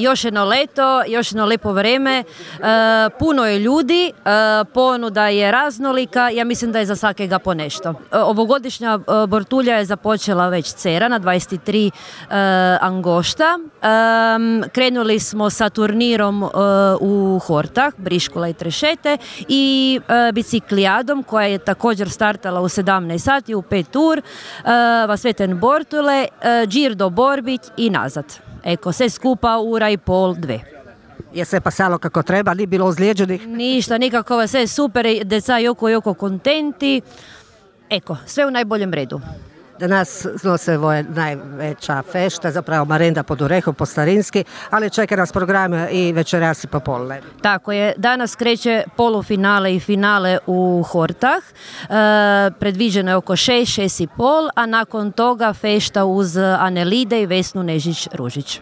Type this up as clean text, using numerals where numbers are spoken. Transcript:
Još jedno leto, još jedno lepo vreme, puno je ljudi, ponuda je raznolika, ja mislim da je za svakega po nešto. Ovogodišnja Bortulja je započela već cera na 23 angošta. Krenuli smo sa turnirom u Hortah, Briškula i Trešete i biciklijadom koja je također startala u 17 sati u 5 tur, Vasveten Bortule, Džir do Borbić i nazad. Eko, sve skupa ura i pol, 2. Je se pasalo kako treba, nije bilo ozlijeđenih? Ništa, nikako, sve super, deca joko kontenti. Eko, sve u najboljem redu. Danas znose ovo je najveća fešta, zapravo marenda pod Orehom, po starinski, ali čeka nas program i večeras i popolne. Tako je, danas kreće polufinale i finale u Hortah, predviđeno je oko 6,5, a nakon toga fešta uz Anelide i Vesnu Nežić-Ružić.